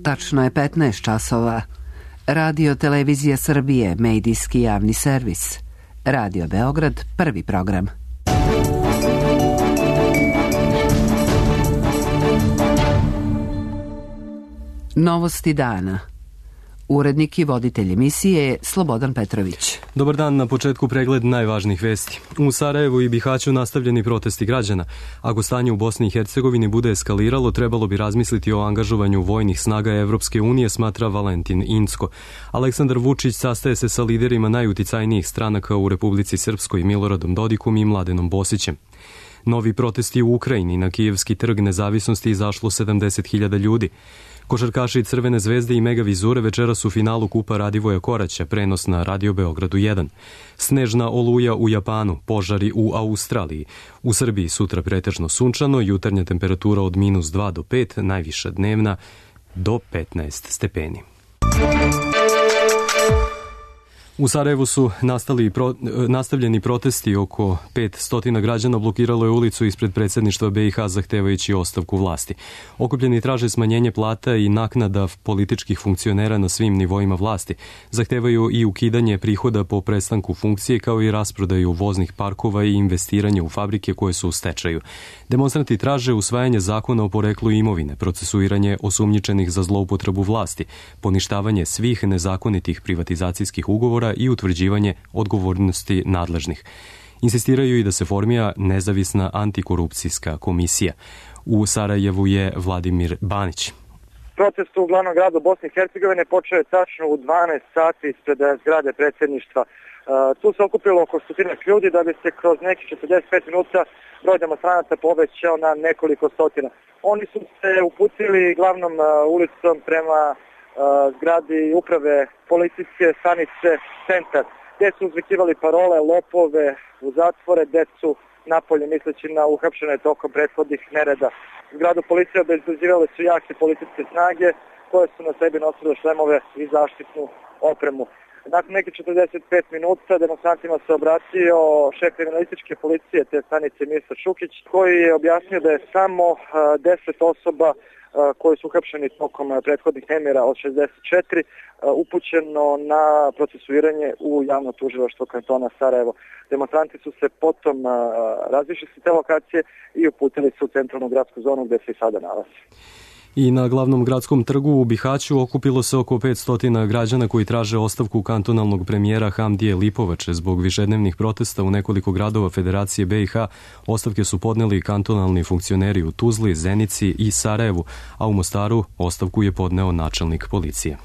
Tačno je 15 časova. Radio Televizija Srbije, medijski javni servis. Radio Beograd, prvi program. Novosti dana. Urednik i voditelj emisije je Slobodan Petrović. Dobar dan, na početku pregled najvažnijih vesti. U Sarajevu i Bihaću nastavljeni protesti građana. Ako stanje u Bosni i Hercegovini bude eskaliralo, trebalo bi razmisliti o angažovanju vojnih snaga Evropske unije, smatra Valentin Incko. Aleksandar Vučić sastaje se sa liderima najuticajnijih stranaka u Republici Srpskoj, Miloradom Dodikom i Mladenom Bosićem. Novi protesti u Ukrajini. Na Kijevski trg nezavisnosti izašlo 70.000 ljudi. Košarkaši Crvene zvezde i Mega Vizure večeras u finalu Kupa Radivoja Koraća, prenos na Radio Beogradu 1. Snežna oluja u Japanu, požari u Australiji. U Srbiji sutra pretežno sunčano, jutarnja temperatura od -2 do 5, najviša dnevna do 15 stepeni. U Sarajevu su nastavljeni protesti. Oko 500 građana blokiralo je ulicu ispred predsjedništva BiH zahtevajući ostavku vlasti. Okupljeni traže smanjenje plata i naknada političkih funkcionera na svim nivoima vlasti. Zahtevaju i ukidanje prihoda po prestanku funkcije, kao i rasprodaju voznih parkova i investiranje u fabrike koje su u stečaju. Demonstranti traže usvajanje zakona o poreklu imovine, procesuiranje osumnjičenih za zloupotrebu vlasti, poništavanje svih nezakonitih privatizacijskih ugovora i utvrđivanje odgovornosti nadležnih. Insistiraju i da se formira nezavisna antikorupcijska komisija. U Sarajevu je Vladimir Banić. Protest u glavnom gradu Bosne i Hercegovine počeo je tačno u 12 sati ispred zgrade predsjedništva. Tu se okupilo oko 100 ljudi da bi se kroz nekih 45 minuta broj demonstranata povećao na nekoliko stotina. Oni su se uputili glavnom ulicom prema zgradi uprave policijske stanice Centar, gdje su uzvikivali parole lopove u zatvore, decu napolje misleći na uhapšene tokom prethodnih nereda. Zgradu policije obezbeđivale su jake policijske snage koje su na sebi nosile šlemove i zaštitnu opremu. Nakon nekih 45 minuta demonstrantima se obratio šef kriminalističke policije te stanice Mirsad Šukić, koji je objasnio da je samo 10 osoba koji su uhapšeni tokom prethodnih nemira od 64 upućeno na procesuiranje u javno tužilaštvo kantona Sarajevo. Demonstranti su se potom razišli s te lokacije i uputili se u centralnu gradsku zonu gdje se i sada nalazi. I na glavnom gradskom trgu u Bihaću okupilo se oko 500 građana koji traže ostavku kantonalnog premijera Hamdije Lipovače. Zbog višednevnih protesta u nekoliko gradova Federacije BiH ostavke su podneli kantonalni funkcioneri u Tuzli, Zenici i Sarajevu, a u Mostaru ostavku je podneo načelnik policije.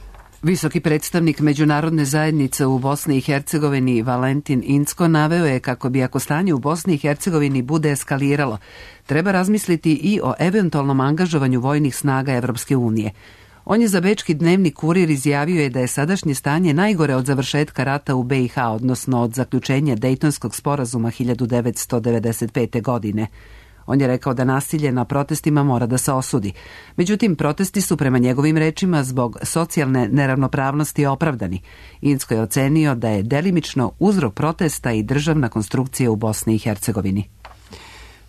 Visoki predstavnik međunarodne zajednice u Bosni i Hercegovini Valentin Incko naveo je kako bi, ako stanje u Bosni i Hercegovini bude eskaliralo, treba razmisliti i o eventualnom angažovanju vojnih snaga Evropske unije. On je za bečki dnevni Kurir izjavio je da je sadašnje stanje najgore od završetka rata u BiH, odnosno od zaključenja Dejtonskog sporazuma 1995. godine. On je rekao da nasilje na protestima mora da se osudi. Međutim, protesti su prema njegovim rečima zbog socijalne neravnopravnosti opravdani. Incko je ocenio da je delimično uzrok protesta i državna konstrukcija u Bosni i Hercegovini.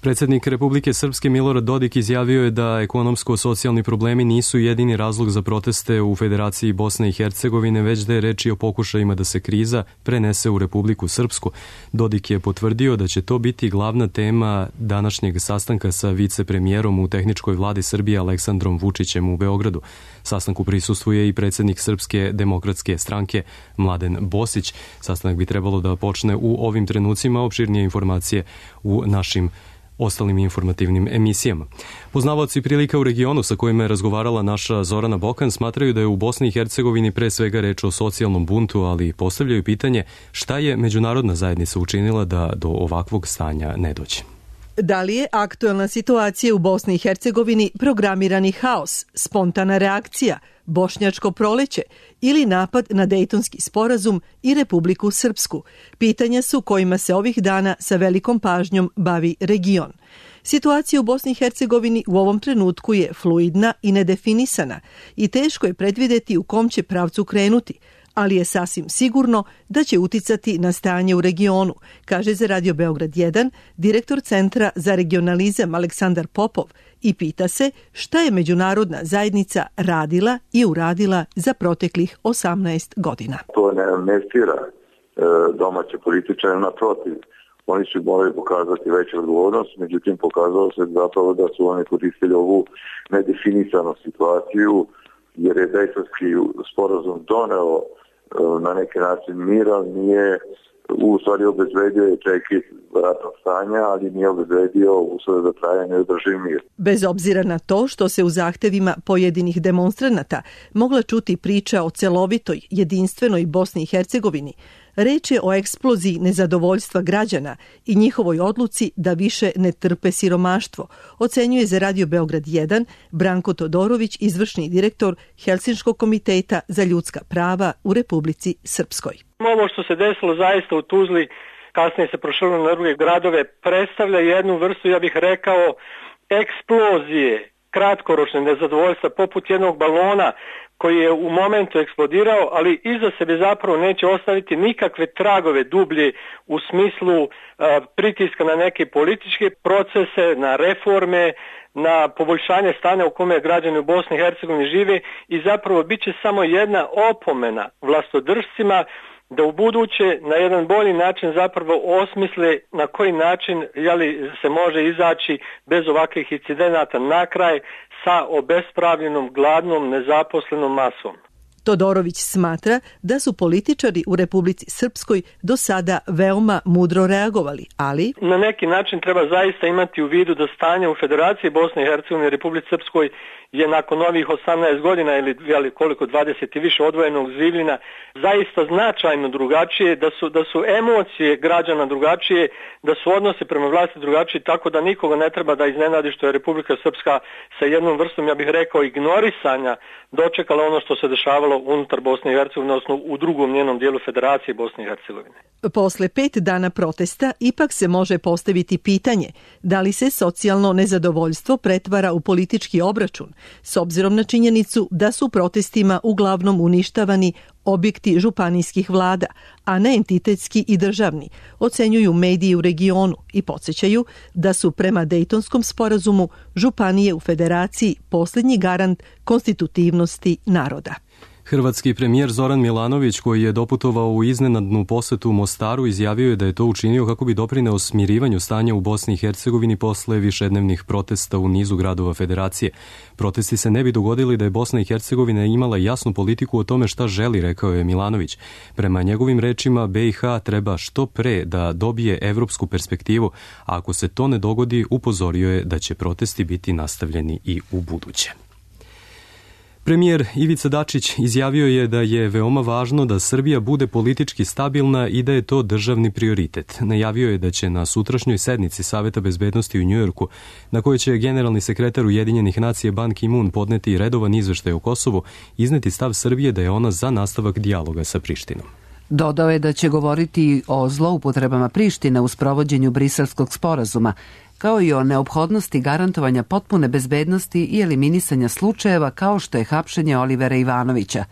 Predsjednik Republike Srpske Milorad Dodik izjavio je da ekonomsko-socijalni problemi nisu jedini razlog za proteste u Federaciji Bosne i Hercegovine, već da je reč i o pokušajima da se kriza prenese u Republiku Srpsku. Dodik je potvrdio da će to biti glavna tema današnjeg sastanka sa vicepremijerom u tehničkoj vladi Srbije Aleksandrom Vučićem u Beogradu. Sastanku prisustvuje i predsjednik Srpske demokratske stranke Mladen Bosić. Sastanak bi trebalo da počne u ovim trenucima. Opširnije informacije u našim ostalim informativnim emisijama. Poznavaoci prilika u regionu sa kojima je razgovarala naša Zorana Bokan smatraju da je u Bosni i Hercegovini pre svega reč o socijalnom buntu, ali postavljaju pitanje šta je međunarodna zajednica učinila da do ovakvog stanja ne dođe. Da li je aktuelna situacija u Bosni i Hercegovini programirani haos, spontana reakcija, bošnjačko proleće ili napad na Dejtonski sporazum i Republiku Srpsku? Pitanja su kojima se ovih dana sa velikom pažnjom bavi region. Situacija u Bosni i Hercegovini u ovom trenutku je fluidna i nedefinisana i teško je predvidjeti u kom će pravcu krenuti, ali je sasvim sigurno da će uticati na stanje u regionu, kaže za Radio Beograd 1 direktor Centra za regionalizam Aleksandar Popov i pita se šta je međunarodna zajednica radila i uradila za proteklih 18 godina. To ne amnestira domaće političare, naprotiv. Oni su morali pokazati veću odgovornost, međutim pokazalo se zapravo da su oni koristili ovu nedefinisanu situaciju, jer je Dejtonski sporazum doneo na neki način mira, nije u stvari obezbedio je prekid ratnog stanja, ali nije obezbedio uslove za trajanje i održiv mir. Bez obzira na to što se u zahtevima pojedinih demonstranata mogla čuti priča o celovitoj, jedinstvenoj Bosni i Hercegovini, reč je o eksploziji nezadovoljstva građana i njihovoj odluci da više ne trpe siromaštvo, ocenjuje za Radio Beograd 1 Branko Todorović, izvršni direktor Helsinškog komiteta za ljudska prava u Republici Srpskoj. Ovo što se desilo zaista u Tuzli, kasnije se proširilo na druge gradove, predstavlja jednu vrstu, ja bih rekao, eksplozije kratkoročne nezadovoljstva poput jednog balona koji je u momentu eksplodirao, ali iza sebe zapravo neće ostaviti nikakve tragove dublje u smislu pritiska na neke političke procese, na reforme, na poboljšanje stanja u kome građani u Bosni i Hercegovini žive i zapravo bit će samo jedna opomena vlastodržcima da u buduće na jedan bolji način zapravo osmisle na koji način se može izaći bez ovakvih incidenata na kraj sa obespravljenom, gladnom, nezaposlenom masom. Todorović smatra da su političari u Republici Srpskoj do sada veoma mudro reagovali, ali na neki način treba zaista imati u vidu da stanje u Federaciji Bosne i Hercegovine i Republici Srpskoj je nakon ovih 18 godina ili koliko 20 i više odvojenog življenja zaista značajno drugačije, da su emocije građana drugačije, da su odnosi prema vlasti drugačiji, tako da nikoga ne treba da iznenadi što je Republika Srpska sa jednom vrstom, ja bih rekao, ignorisanja dočekala ono što se dešavalo unutar Bosne i Hercegovine, odnosno u drugom njenom dijelu Federacije Bosne i Hercegovine. Posle 5 dana protesta ipak se može postaviti pitanje da li se socijalno nezadovoljstvo pretvara u politički obračun, s obzirom na činjenicu da su protestima uglavnom uništavani objekti županijskih vlada, a ne entitetski i državni, ocenjuju mediji u regionu i podsjećaju da su prema Dejtonskom sporazumu županije u Federaciji posljednji garant konstitutivnosti naroda. Hrvatski premijer Zoran Milanović, koji je doputovao u iznenadnu posetu u Mostaru, izjavio je da je to učinio kako bi doprineo smirivanju stanja u Bosni i Hercegovini posle višednevnih protesta u nizu gradova Federacije. Protesti se ne bi dogodili da je Bosna i Hercegovina imala jasnu politiku o tome šta želi, rekao je Milanović. Prema njegovim rečima, BiH treba što pre da dobije evropsku perspektivu, a ako se to ne dogodi, upozorio je da će protesti biti nastavljeni i u buduće. Premijer Ivica Dačić izjavio je da je veoma važno da Srbija bude politički stabilna i da je to državni prioritet. Najavio je da će na sutrašnjoj sednici Saveta bezbednosti u Njujorku, na kojoj će generalni sekretar Ujedinjenih nacija Ban Ki-moon podneti redovan izveštaj o Kosovu, izneti stav Srbije da je ona za nastavak dijaloga sa Prištinom. Dodao je da će govoriti o zloupotrebama Prištine u sprovođenju Briselskog sporazuma, kao i o neophodnosti garantovanja potpune bezbednosti i eliminisanja slučajeva kao što je hapšenje Olivera Ivanovića.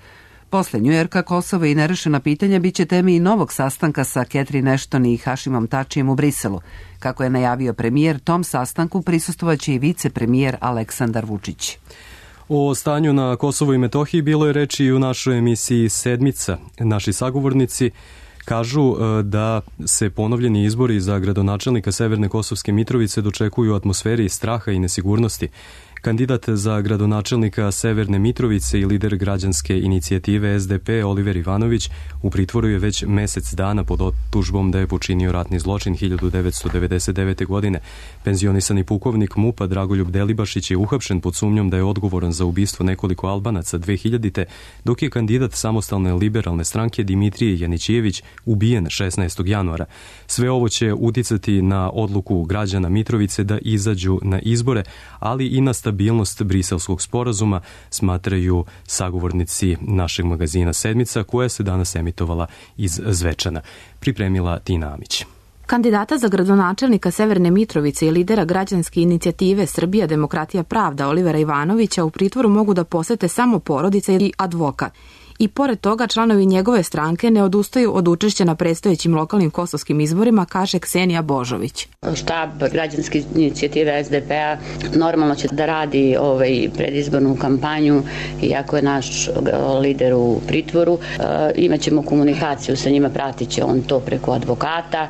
Posle Njujorka, Kosovo i nerešena pitanja biće teme i novog sastanka sa Catherine Ashton i Hašimom Tačijem u Briselu. Kako je najavio premijer, tom sastanku prisustvovaće i vicepremijer Aleksandar Vučić. O stanju na Kosovu i Metohiji bilo je reči i u našoj emisiji Sedmica. Naši sagovornici kažu da se ponovljeni izbori za gradonačelnika Severne Kosovske Mitrovice dočekuju u atmosferi straha i nesigurnosti. Kandidat za gradonačelnika Severne Mitrovice i lider građanske inicijative SDP Oliver Ivanović u pritvoru je već mesec dana pod optužbom da je počinio ratni zločin 1999. godine. Penzionisani pukovnik MUP-a Dragoljub Delibašić je uhapšen pod sumnjom da je odgovoran za ubistvo nekoliko Albanaca 2000. dok je kandidat samostalne liberalne stranke Dimitrije Janićijević ubijen 16. januara. Sve ovo će uticati na odluku građana Mitrovice da izađu na izbore, ali i na stabilnost Briselskog sporazuma, smatraju sagovornici našeg magazina Sedmica, koja se danas emitovala iz Zvečana. Pripremila Tina Amić. Kandidata za gradonačelnika Severne Mitrovice i lidera građanske inicijative Srbija, demokratija, pravda Olivera Ivanovića u pritvoru mogu da posete samo porodica ili advokat. i pored toga članovi njegove stranke ne odustaju od učešća na predstojećim lokalnim kosovskim izborima, kaže Ksenija Božović. Štab građanske inicijative SDP-a normalno će da radi predizbornu kampanju, iako je naš lider u pritvoru. Imaćemo komunikaciju sa njima, pratit će on to preko advokata.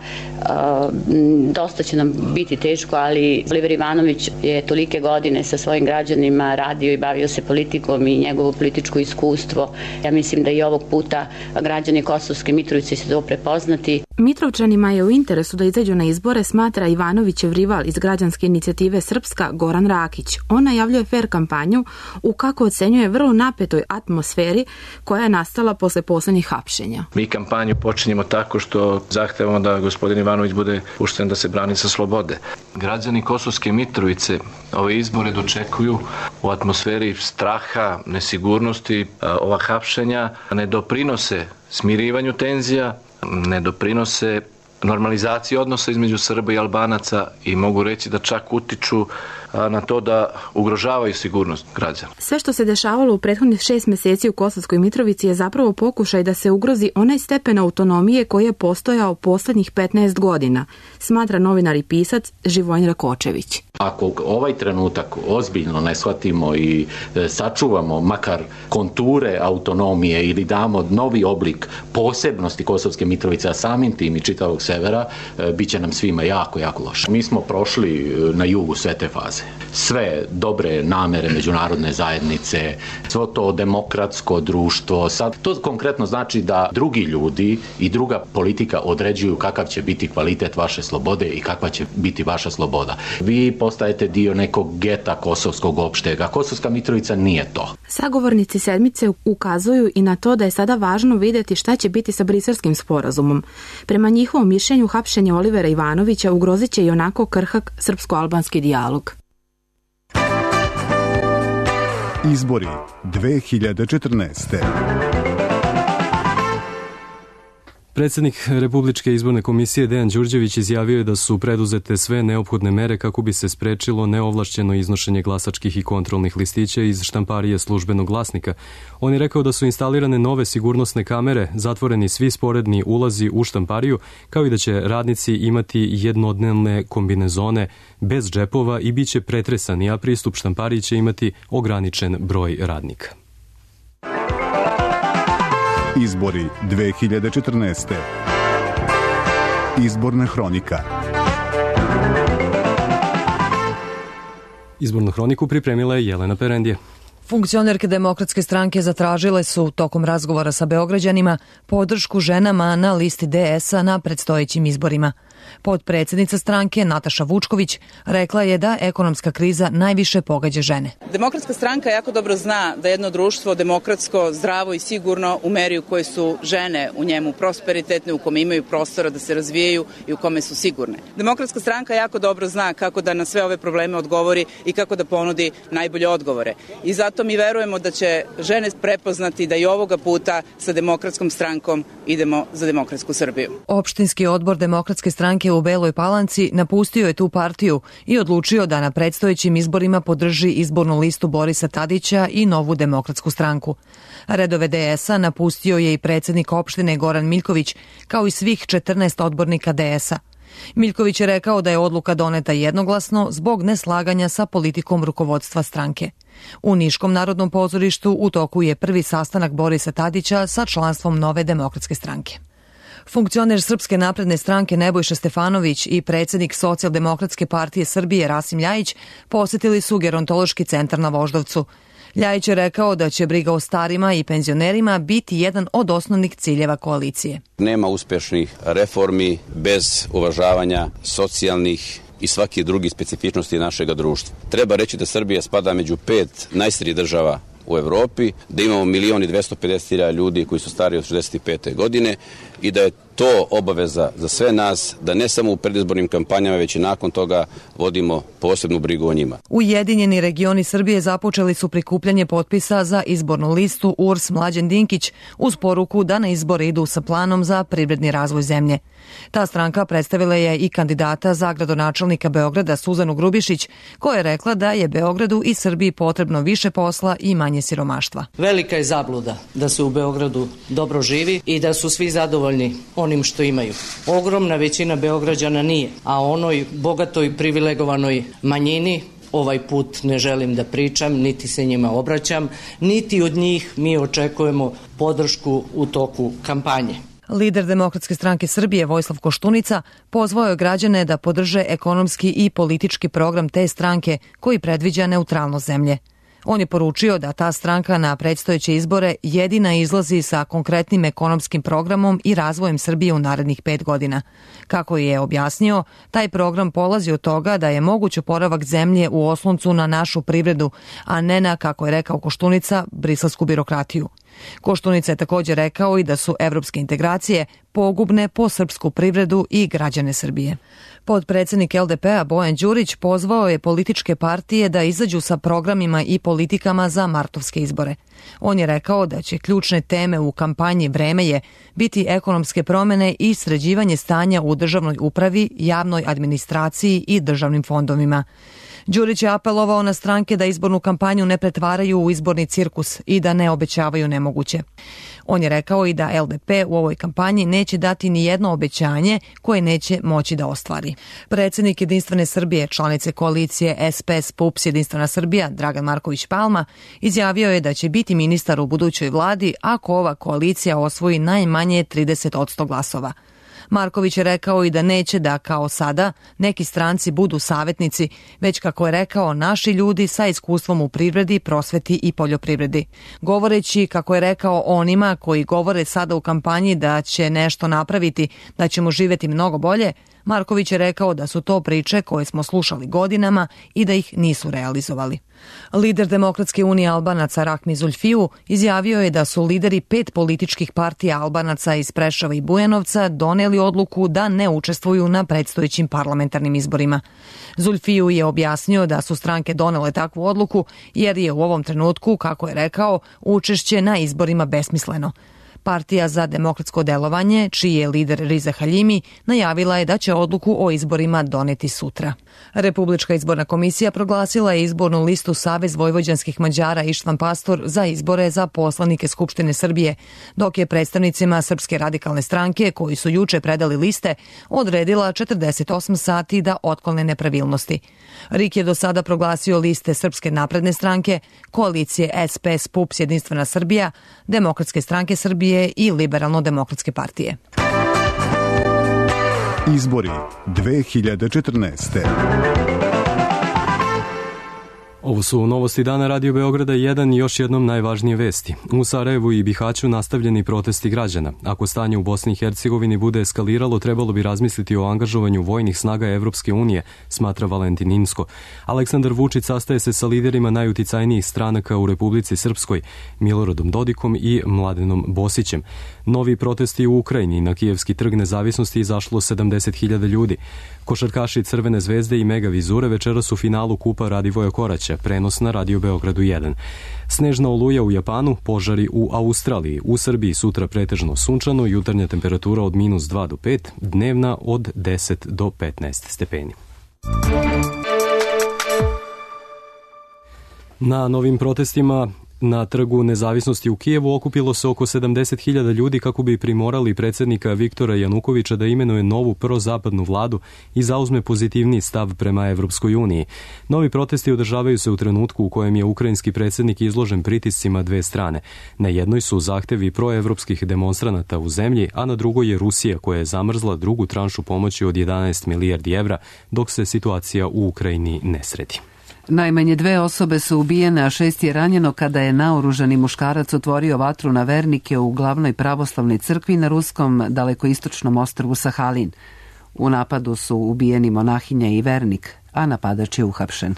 Dosta će nam biti teško, ali Oliver Ivanović je tolike godine sa svojim građanima radio i bavio se politikom i njegovo političko iskustvo. Ja mislim da i ovog puta građani Kosovske Mitrovice će to prepoznati. Mitrovčanima je u interesu da izađu na izbore, smatra Ivanovićev rival iz građanske inicijative Srpska Goran Rakić. On najavljuje fer kampanju u, kako ocenjuje, vrlo napetoj atmosferi koja je nastala posle poslednjih hapšenja. Mi kampanju počinjemo tako što zahtevamo da gospodin Ivanović bude pušten da se brani sa slobode. Građani Kosovske Mitrovice ove izbore dočekuju u atmosferi straha, nesigurnosti. Ova hapšenja ne doprinose smirivanju tenzija, ne doprinose normalizaciji odnosa između Srba i Albanaca i mogu reći da čak utiču na to da ugrožavaju sigurnost građana. Sve što se dešavalo u prethodnih 6 meseci u Kosovskoj Mitrovici je zapravo pokušaj da se ugrozi onaj stepen autonomije koji je postojao poslednjih 15 godina, smatra novinar i pisac Živojin Rakočević. Ako ovaj trenutak ozbiljno ne shvatimo i sačuvamo makar konture autonomije ili damo novi oblik posebnosti Kosovske Mitrovice, a samim tim i čitavog severa, bit će nam svima jako, jako loše. Mi smo prošli na jugu sve te faze. Sve dobre namere međunarodne zajednice, svo to demokratsko društvo, sad to konkretno znači da drugi ljudi i druga politika određuju kakav će biti kvalitet vaše slobode i kakva će biti vaša sloboda. Vi postajete dio nekog geta kosovskog opštega. Kosovska Mitrovica nije to. Sagovornici sedmice ukazuju i na to da je sada važno vidjeti šta će biti sa Briselskim sporazumom. Prema njihovom mišljenju, hapšenje Olivera Ivanovića ugrozit će i onako krhak srpsko-albanski dijalog. Izbori 2014. Predsjednik Republičke izborne komisije Dejan Đurđević izjavio je da su preduzete sve neophodne mere kako bi se sprečilo neovlašćeno iznošenje glasačkih i kontrolnih listića iz štamparije Službenog glasnika. On je rekao da su instalirane nove sigurnosne kamere, zatvoreni svi sporedni ulazi u štampariju, kao i da će radnici imati jednodnevne kombinezone bez džepova i bit će pretresani, a pristup štampariji će imati ograničen broj radnika. Izbori 2014. Izborna hronika. Izbornu hroniku pripremila je Jelena Perendije. Funkcionerke Demokratske stranke zatražile su tokom razgovora sa Beograđanima podršku ženama na listi DS-a na predstojećim izborima. Potpredsjednica stranke Nataša Vučković rekla je da ekonomska kriza najviše pogađa žene. Demokratska stranka jako dobro zna da jedno društvo demokratsko, zdravo i sigurno u meri u kojoj su žene u njemu prosperitetne, u kome imaju prostora da se razvijaju i u kome su sigurne. Demokratska stranka jako dobro zna kako da na sve ove probleme odgovori i kako da ponudi najbolje odgovore. I zato mi verujemo da će žene prepoznati da i ovoga puta sa Demokratskom strankom idemo za demokratsku Srbiju. Opštinski odbor Demokratske stranke u Beloj Palanci napustio je tu partiju i odlučio da na predstojećim izborima podrži izbornu listu Borisa Tadića i Novu demokratsku stranku. Redove DS-a napustio je i predsjednik opštine Goran Miljković, kao i svih 14 odbornika DS-a. Miljković je rekao da je odluka doneta jednoglasno zbog neslaganja sa politikom rukovodstva stranke. U Niškom narodnom pozorištu u toku je prvi sastanak Borisa Tadića sa članstvom Nove demokratske stranke. Funkcioner Srpske napredne stranke Nebojša Stefanović i predsjednik Socijaldemokratske partije Srbije Rasim Ljajić posjetili su gerontološki centar na Voždovcu. Ljajić je rekao da će briga o starima i penzionerima biti jedan od osnovnih ciljeva koalicije. Nema uspešnih reformi bez uvažavanja socijalnih i svaki drugi specifičnosti našeg društva. Treba reći da Srbija spada među 5 najstarijih država u Evropi, da imamo 1.250.000 ljudi koji su stariji od 65. godine i da je to obaveza za sve nas, da ne samo u predizbornim kampanjama, već i nakon toga vodimo posebnu brigu o njima. Ujedinjeni regioni Srbije započeli su prikupljanje potpisa za izbornu listu URS Mlađan Dinkić uz poruku da na izbore idu sa planom za privredni razvoj zemlje. Ta stranka predstavila je i kandidata za gradonačelnika Beograda Suzanu Grubišić, koja je rekla da je Beogradu i Srbiji potrebno više posla i manje siromaštva. Velika je zabluda da se u Beogradu dobro živi i da su svi zadovoljni onim što imaju. Ogromna većina Beograđana nije, a onoj bogatoj privilegovanoj manjini ovaj put ne želim da pričam, niti se njima obraćam, niti od njih mi očekujemo podršku u toku kampanje. Lider Demokratske stranke Srbije Vojislav Koštunica pozvao je građane da podrže ekonomski i politički program te stranke koji predviđa neutralnost zemlje. On je poručio da ta stranka na predstojeće izbore jedina izlazi sa konkretnim ekonomskim programom i razvojem Srbije u narednih 5 godina. Kako je objasnio, taj program polazi od toga da je moguć oporavak zemlje u osloncu na našu privredu, a ne na, kako je rekao Koštunica, briselsku birokratiju. Koštunica je također rekao i da su evropske integracije pogubne po srpsku privredu i građane Srbije. Potpredsednik LDP-a Bojan Đurić pozvao je političke partije da izađu sa programima i politikama za martovske izbore. On je rekao da će ključne teme u kampanji Vreme je biti ekonomske promene i sređivanje stanja u državnoj upravi, javnoj administraciji i državnim fondovima. Đurić je apelovao na stranke da izbornu kampanju ne pretvaraju u izborni cirkus i da ne obećavaju nemoguće. On je rekao i da LDP u ovoj kampanji neće dati ni jedno obećanje koje neće moći da ostvari. Predsjednik Jedinstvene Srbije, članice koalicije SPS PUPS Jedinstvena Srbija, Dragan Marković Palma, izjavio je da će biti ministar u budućoj vladi ako ova koalicija osvoji najmanje 30% glasova. Marković je rekao i da neće da, kao sada, neki stranci budu savjetnici, već, kako je rekao, naši ljudi sa iskustvom u privredi, prosveti i poljoprivredi. Govoreći, kako je rekao, onima koji govore sada u kampanji da će nešto napraviti, da ćemo živjeti mnogo bolje, Marković je rekao da su to priče koje smo slušali godinama i da ih nisu realizovali. Lider Demokratske unije Albanaca Rahmi Zulfiju izjavio je da su lideri 5 političkih partija Albanaca iz Preševa i Bujanovca doneli odluku da ne učestvuju na predstojećim parlamentarnim izborima. Zulfiju je objasnio da su stranke donele takvu odluku jer je u ovom trenutku, kako je rekao, učešće na izborima besmisleno. Partija za demokratsko delovanje, čiji je lider Riza Haljimi, najavila je da će odluku o izborima doneti sutra. Republička izborna komisija proglasila je izbornu listu Savez vojvođanskih Mađara Ištvan Pastor za izbore za poslanike Skupštine Srbije, dok je predstavnicima Srpske radikalne stranke, koji su juče predali liste, odredila 48 sati da otklone nepravilnosti. RIK je do sada proglasio liste Srpske napredne stranke, koalicije SPS PUPS Jedinstvena Srbija, Demokratske stranke Srbije i Liberalno-demokratske partije. Izbori 2014. Ovo su novosti dana Radio Beograda 1 i još jednom najvažnije vesti. U Sarajevu i Bihaću nastavljeni protesti građana. Ako stanje u Bosni i Hercegovini bude eskaliralo, trebalo bi razmisliti o angažovanju vojnih snaga Evropske unije, smatra Valentin Inzko. Aleksandar Vučić sastaje se sa liderima najuticajnijih stranaka u Republici Srpskoj, Miloradom Dodikom i Mladenom Bosićem. Novi protesti u Ukrajini. Na Kijevski trg nezavisnosti izašlo 70.000 ljudi. Košarkaši Crvene zvezde i Mega Vizure večeras u finalu Kupa Radivoja Koraća, prenos na Radio Beogradu 1. Snežna oluja u Japanu, požari u Australiji. U Srbiji sutra pretežno sunčano, jutarnja temperatura od -2 do 5, dnevna od 10 do 15 stepeni. Na novim protestima na Trgu nezavisnosti u Kijevu okupilo se oko 70.000 ljudi kako bi primorali predsjednika Viktora Janukovića da imenuje novu prozapadnu vladu i zauzme pozitivniji stav prema Evropskoj uniji. Novi protesti održavaju se u trenutku u kojem je ukrajinski predsjednik izložen pritiscima dve strane. Na jednoj su zahtevi proevropskih demonstranata u zemlji, a na drugoj je Rusija koja je zamrzla drugu tranšu pomoći od 11 milijardi evra dok se situacija u Ukrajini ne sredi. Najmanje 2 osobe su ubijene, a 6 je ranjeno kada je naoružani muškarac otvorio vatru na vernike u glavnoj pravoslavnoj crkvi na ruskom dalekoistočnom ostrvu Sahalin. U napadu su ubijeni monahinja i vernik, a napadač je uhapšen.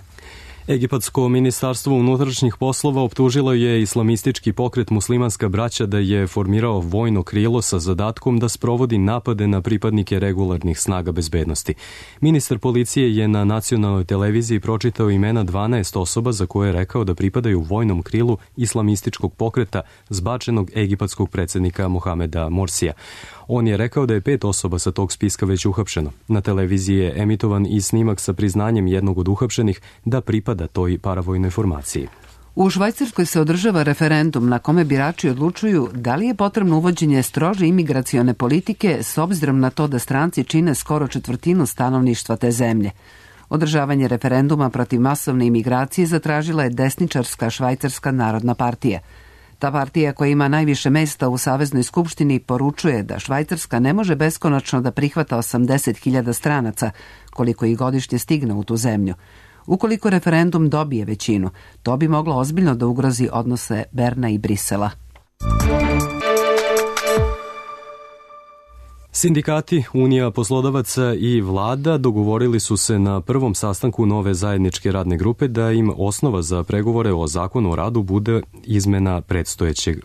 Egipatsko ministarstvo unutrašnjih poslova optužilo je islamistički pokret Muslimanska braća da je formirao vojno krilo sa zadatkom da sprovodi napade na pripadnike regularnih snaga bezbednosti. Ministar policije je na nacionalnoj televiziji pročitao imena 12 osoba za koje je rekao da pripadaju vojnom krilu islamističkog pokreta zbačenog egipatskog predsjednika Mohameda Morsija. On je rekao da je 5 osoba sa tog spiska već uhapšeno. Na televiziji je emitovan i snimak sa priznanjem jednog od uhapšenih da pripada toj paravojnoj formaciji. U Švajcarskoj se održava referendum na kome birači odlučuju da li je potrebno uvođenje strože imigracione politike s obzirom na to da stranci čine skoro četvrtinu stanovništva te zemlje. Održavanje referenduma protiv masovne imigracije zatražila je desničarska Švajcarska narodna partija. Ta partija koja ima najviše mesta u Saveznoj skupštini poručuje da Švajcarska ne može beskonačno da prihvata 80.000 stranaca, koliko ih godišnje stigne u tu zemlju. Ukoliko referendum dobije većinu, to bi moglo ozbiljno da ugrozi odnose Berna i Brisela. Sindikati, Unija poslodavaca i vlada dogovorili su se na prvom sastanku nove zajedničke radne grupe da im osnova za pregovore o zakonu o radu bude izmena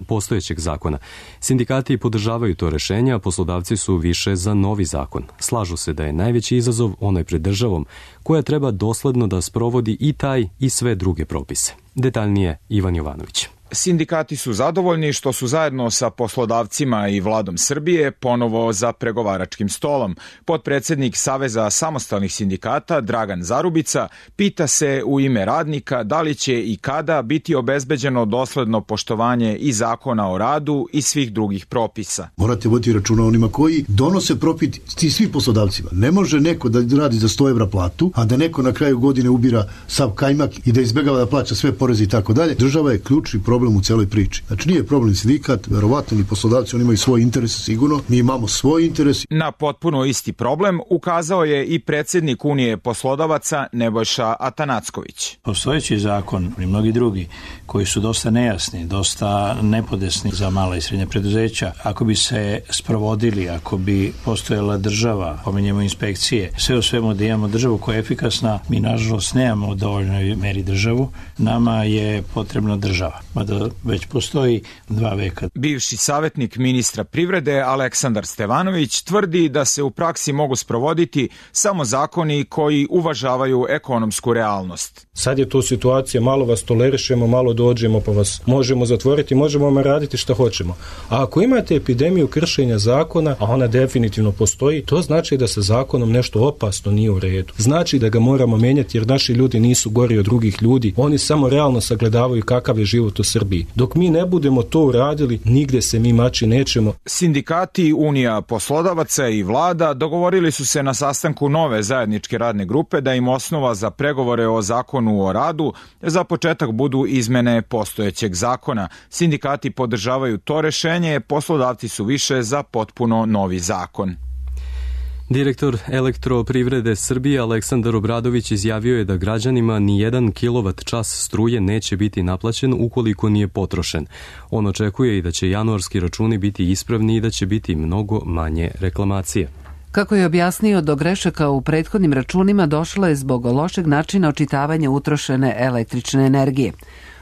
postojećeg zakona. Sindikati podržavaju to rešenje, a poslodavci su više za novi zakon. Slažu se da je najveći izazov onaj pred državom, koja treba dosledno da sprovodi i taj i sve druge propise. Detaljnije Ivan Jovanović. Sindikati su zadovoljni što su zajedno sa poslodavcima i vladom Srbije ponovo za pregovaračkim stolom. Potpredsednik Saveza samostalnih sindikata Dragan Zarubica pita se u ime radnika da li će i kada biti obezbeđeno dosledno poštovanje i zakona o radu i svih drugih propisa. Morate voditi računa onima koji donose profit svih poslodavcima. Ne može neko da radi za 100 evra platu, a da neko na kraju godine ubira sav kajmak i da izbegava da plaća sve poreze i tako dalje. Država je ključni problem u celoj priči. Znači nije problem sindikat, verovatno ni poslodavci, oni imaju svoj interes sigurno, mi imamo svoj interes. Na potpuno isti problem ukazao je i predsjednik Unije poslodavaca Nebojša Atanacković. Postojeći zakon i mnogi drugi koji su dosta nejasni, dosta nepodesni za mala i srednja preduzeća, ako bi se sprovodili, ako bi postojala država, pominjemo inspekcije, sve u svemu da imamo državu koja je efikasna, mi nažalost nemamo u dovoljnoj meri državu, nama je potrebna država. Mada već postoji 2 veka. Bivši savjetnik ministra privrede Aleksandar Stevanović tvrdi da se u praksi mogu sprovoditi samo zakoni koji uvažavaju ekonomsku realnost. Sad je tu situacija, malo vas tolerišemo, malo dođemo pa vas možemo zatvoriti, možemo vam raditi šta hoćemo. A ako imate epidemiju kršenja zakona, a ona definitivno postoji, to znači da sa zakonom nešto opasno nije u redu. Znači da ga moramo menjati jer naši ljudi nisu gori od drugih ljudi, oni samo realno sagledavaju kakav je život u Srbiji. Dok mi ne budemo to uradili, nigde se mi mači nećemo. Sindikati, Unija poslodavaca i vlada dogovorili su se na sastanku nove zajedničke radne grupe da im osnova za pregovore o zakonu o radu za početak budu izmene postojećeg zakona. Sindikati podržavaju to rešenje, poslodavci su više za potpuno novi zakon. Direktor Elektroprivrede Srbije Aleksandar Obradović izjavio je da građanima ni 1 kWh struje neće biti naplaćen ukoliko nije potrošen. On očekuje i da će januarski računi biti ispravni i da će biti mnogo manje reklamacije. Kako je objasnio, do grešaka u prethodnim računima došlo je zbog lošeg načina očitavanja utrošene električne energije.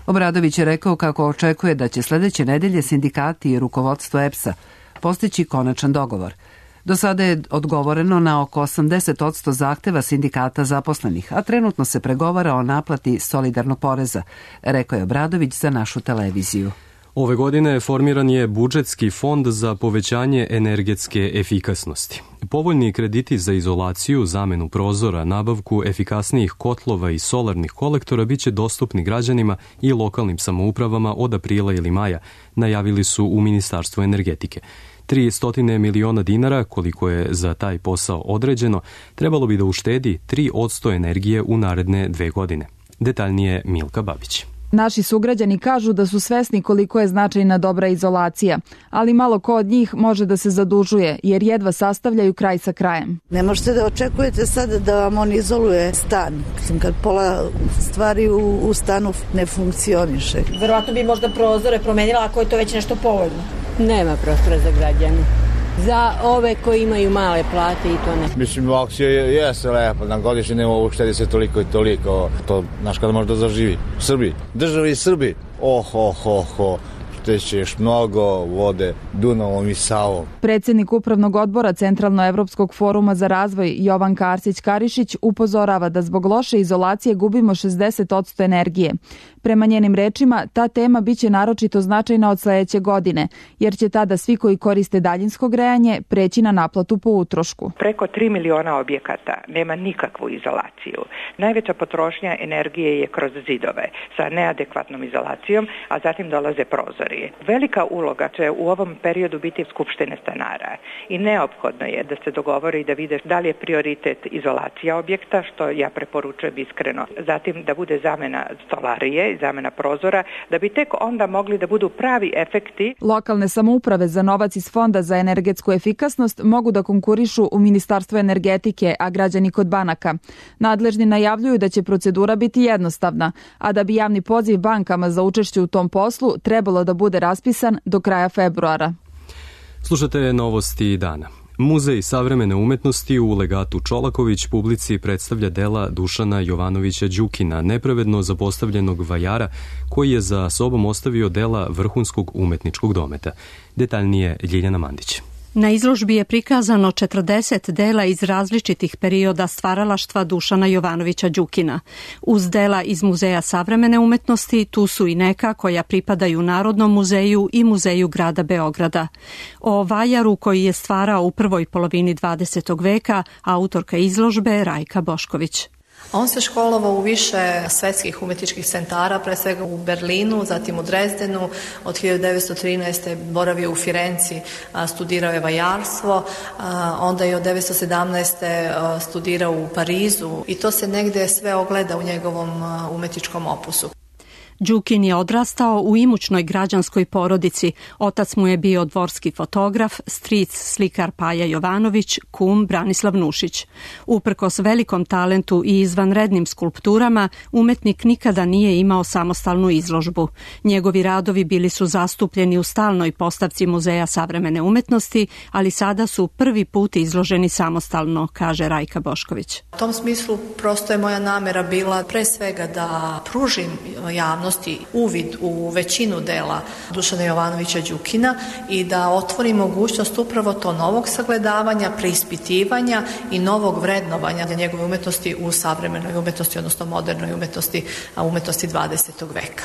Obradović je rekao kako očekuje da će sledeće nedelje sindikati i rukovodstvo EPS-a postići konačan dogovor. Do sada je odgovoreno na oko 80% zahteva sindikata zaposlenih, a trenutno se pregovara o naplati solidarnog poreza, rekao je Obradović za našu televiziju. Ove godine formiran je budžetski fond za povećanje energetske efikasnosti. Povoljni krediti za izolaciju, zamenu prozora, nabavku efikasnijih kotlova i solarnih kolektora biće dostupni građanima i lokalnim samoupravama od aprila ili maja, najavili su u Ministarstvu energetike. 300 miliona dinara, koliko je za taj posao određeno, trebalo bi da uštedi 3% energije u naredne 2 godine. Detaljnije Milka Babić. Naši sugrađani kažu da su svesni koliko je značajna dobra izolacija, ali malo ko od njih može da se zadužuje, jer jedva sastavljaju kraj sa krajem. Ne možete da očekujete sad da vam on izoluje stan, kad pola stvari u stanu ne funkcioniše. Verovatno bi možda prozore promenila ako je to već nešto povoljno. Nema prostora za građane. Za ove koji imaju male plate i to ne. Mislim, akcija jeste lepa, na godišnje ne mogu štedi se toliko i toliko, to znaš kada može da zaživi. U Srbiji, državi i Srbiji, teće još mnogo vode Dunavom i Savom. Predsjednik Upravnog odbora Centralnoevropskog foruma za razvoj Jovanka Arsić-Karišić upozorava da zbog loše izolacije gubimo 60% energije. Prema njenim rečima, ta tema biće naročito značajna od sledeće godine, jer će tada svi koji koriste daljinsko grejanje preći na naplatu po utrošku. Preko 3 miliona objekata nema nikakvu izolaciju. Najveća potrošnja energije je kroz zidove sa neadekvatnom izolacijom, a zatim dolaze prozori. Velika uloga će u ovom periodu biti skupštine stanara i neophodno je da se dogovori i da vide da li je prioritet izolacija objekta, što ja preporučujem iskreno. Zatim da bude zamena stolarije, zamena prozora, da bi tek onda mogli da budu pravi efekti. Lokalne samouprave za novac iz Fonda za energetsku efikasnost mogu da konkurišu u Ministarstvu energetike, a građani kod banaka. Nadležni najavljuju da će procedura biti jednostavna, a da bi javni poziv bankama za učešće u tom poslu trebalo da bude raspisan do kraja februara. Slušate novosti dana. Muzej savremene umetnosti u legatu Čolaković publici predstavlja dela Dušana Jovanovića Đukina, nepravedno zapostavljenog vajara koji je za sobom ostavio dela vrhunskog umetničkog dometa. Detaljnije Ljiljana Mandić. Na izložbi je prikazano 40 dela iz različitih perioda stvaralaštva Dušana Jovanovića Đukina. Uz dela iz Muzeja savremene umetnosti tu su i neka koja pripadaju Narodnom muzeju i Muzeju grada Beograda. O vajaru koji je stvarao u prvoj polovini 20. veka, autorka izložbe Rajka Bošković. On se školovao u više svetskih umetničkih centara, pre svega u Berlinu, zatim u Drezdenu, od 1913. boravio u Firenci, studirao je vajarstvo, onda je od 1917. studirao u Parizu i to se negde sve ogleda u njegovom umetničkom opusu. Đukin je odrastao u imućnoj građanskoj porodici. Otac mu je bio dvorski fotograf, stric slikar Paja Jovanović, kum Branislav Nušić. Uprkos velikom talentu i izvanrednim skulpturama, umetnik nikada nije imao samostalnu izložbu. Njegovi radovi bili su zastupljeni u stalnoj postavci Muzeja savremene umetnosti, ali sada su prvi put izloženi samostalno, kaže Rajka Bošković. U tom smislu prosto je moja namera bila pre svega da pružim javnosti uvid u većinu dela Dušana Jovanovića Đukina i da otvori mogućnost upravo to novog sagledavanja, preispitivanja i novog vrednovanja njegove umetnosti u savremenoj umetnosti, odnosno modernoj umetnosti, a umetnosti 20. veka.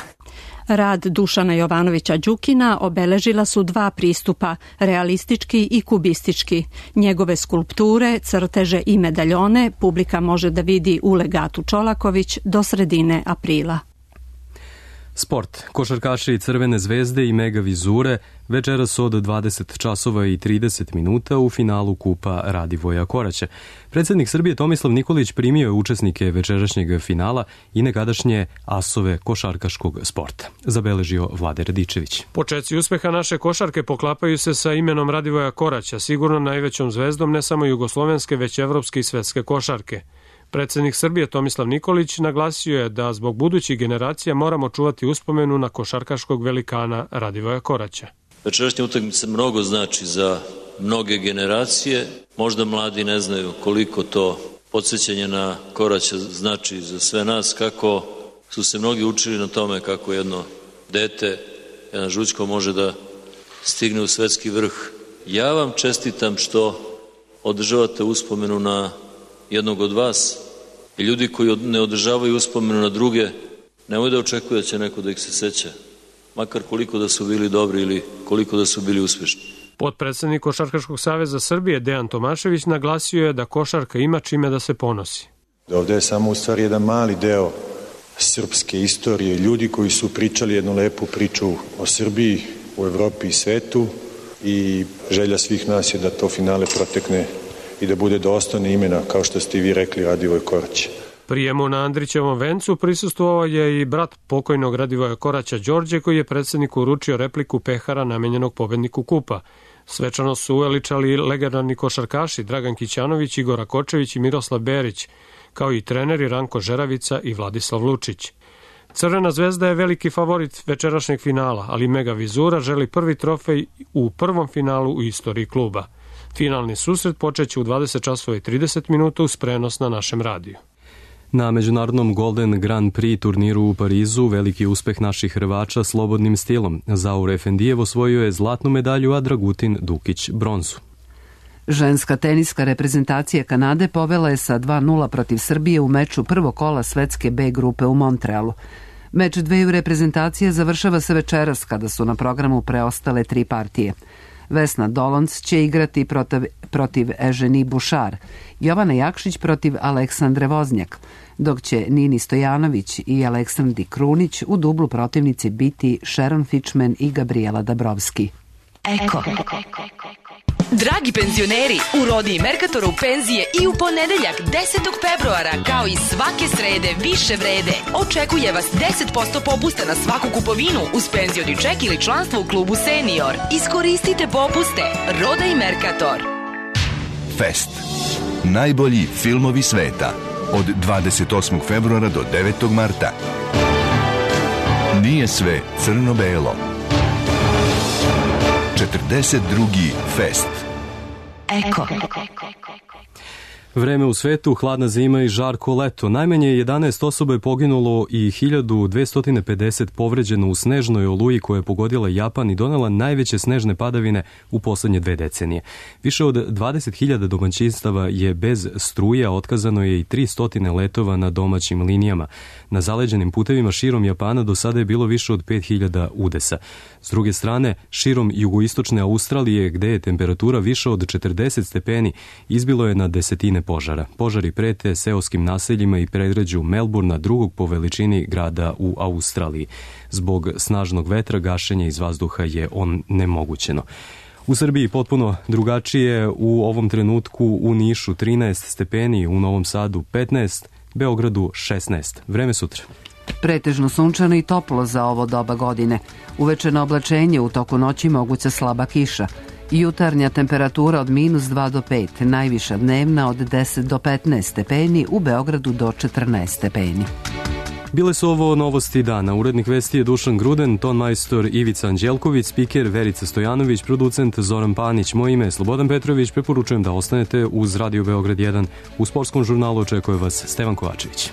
Rad Dušana Jovanovića Đukina obeležila su dva pristupa, realistički i kubistički. Njegove skulpture, crteže i medaljone publika može da vidi u legatu Čolaković do sredine aprila. Sport. Košarkaši Crvene zvezde i Mega Vizure večeras od 20 časova i 30 minuta u finalu Kupa Radivoja Koraća. Predsjednik Srbije Tomislav Nikolić primio je učesnike večerašnjeg finala i nekadašnje asove košarkaškog sporta. Zabeležio Vlade Radičević. Počeci uspeha naše košarke poklapaju se sa imenom Radivoja Koraća, sigurno najvećom zvezdom ne samo jugoslovenske, već evropske i svetske košarke. Predsjednik Srbije Tomislav Nikolić naglasio je da zbog budućih generacija moramo čuvati uspomenu na košarkaškog velikana Radivoja Koraća. Večerašnja utakmica mnogo znači za mnoge generacije. Možda mladi ne znaju koliko to podsjećanje na Koraća znači za sve nas, kako su se mnogi učili na tome kako jedno dete, jedan žućko može da stigne u svetski vrh. Ja vam čestitam što održavate uspomenu na jednog od vas i ljudi koji ne održavaju uspomenu na druge, nemoj da očekuju da će neko da ih se seća, makar koliko da su bili dobri ili koliko da su bili uspješni. Potpredsednik Košarkaškog saveza Srbije Dejan Tomašević naglasio je da košarka ima čime da se ponosi. Ovde je samo u stvari jedan mali deo srpske istorije, ljudi koji su pričali jednu lepu priču o Srbiji, u Evropi i svetu i želja svih nas je da to finale protekne i da bude dostojno imena, kao što ste i vi rekli, Radivoj Korać. Prijemu na Andrićevom vencu prisustvovao je i brat pokojnog Radivoja Koraća Đorđe, koji je predsjedniku uručio repliku pehara namenjenog pobedniku kupa. Svečano su uveličali legendarni košarkaši Dragan Kićanović, Igor Rakočević i Miroslav Berić, kao i treneri Ranko Žeravica i Vladislav Lučić. Crvena zvezda je veliki favorit večerašnjeg finala, ali Mega Vizura želi prvi trofej u prvom finalu u istoriji kluba. Finalni susret počeće u 20 časova i 30 minuta uz prenos na našem radiju. Na međunarodnom Golden Grand Prix turniru u Parizu veliki uspeh naših Hrvača slobodnim stilom. Zaur Efendijev osvojio je zlatnu medalju, a Dragutin Dukić bronzu. Ženska teniska reprezentacija Kanade povela je sa 2:0 protiv Srbije u meču prvog kola svetske B grupe u Montrealu. Meč dveju reprezentacija završava se večeras kada su na programu preostale 3 partije. Vesna Dolonc će igrati protiv Eženi Bušar, Jovana Jakšić protiv Aleksandre Voznjak, dok će Nini Stojanović i Aleksandri Krunić u dublu protivnici biti Sharon Fichman i Gabriela Dabrowski. Eko. Dragi penzioneri, u Rodi i Merkatoru penzije i u ponedeljak 10. februara, kao i svake srede više vrede. Očekuje vas 10% popusta na svaku kupovinu uz penzioni ček ili članstvo u klubu Senior. Iskoristite popuste. Roda i Merkator. Fest. Najbolji filmovi sveta. Od 28. februara do 9. marta. Nije sve crno-belo. 42. Fest. Eko. Vreme u svetu, hladna zima i žarko leto. Najmanje 11 osoba je poginulo i 1250 povređeno u snežnoj oluji koja je pogodila Japan i donela najveće snežne padavine u poslednje 2 decenije. Više od 20.000 domaćinstava je bez struje, a otkazano je i 300 letova na domaćim linijama. Na zaleđenim putevima širom Japana do sada je bilo više od 5000 udesa. S druge strane, širom jugoistočne Australije, gde je temperatura više od 40 stepeni, izbilo je na desetine požara. Požari prete seoskim naseljima i predgrađu Melbourna, drugog po veličini grada u Australiji. Zbog snažnog vetra gašenje iz vazduha je onemogućeno. U Srbiji potpuno drugačije, u ovom trenutku u Nišu 13 stepeni, u Novom Sadu 15, Beogradu 16. Vreme sutra. Pretežno sunčano i toplo za ovo doba godine. Uveče na oblačenje, u toku noći moguća slaba kiša. Jutarnja temperatura od -2 do 5, najviša dnevna od 10 do 15 stepeni, u Beogradu do 14 stepeni. Bile su ovo novosti dana. Urednik vesti je Dušan Gruden, tonmajstor Ivica Anđelković, spiker Verica Stojanović, producent Zoran Panić. Moje ime je Slobodan Petrović. Preporučujem da ostanete uz Radio Beograd 1. U sportskom žurnalu očekuje vas Stevan Kovačević.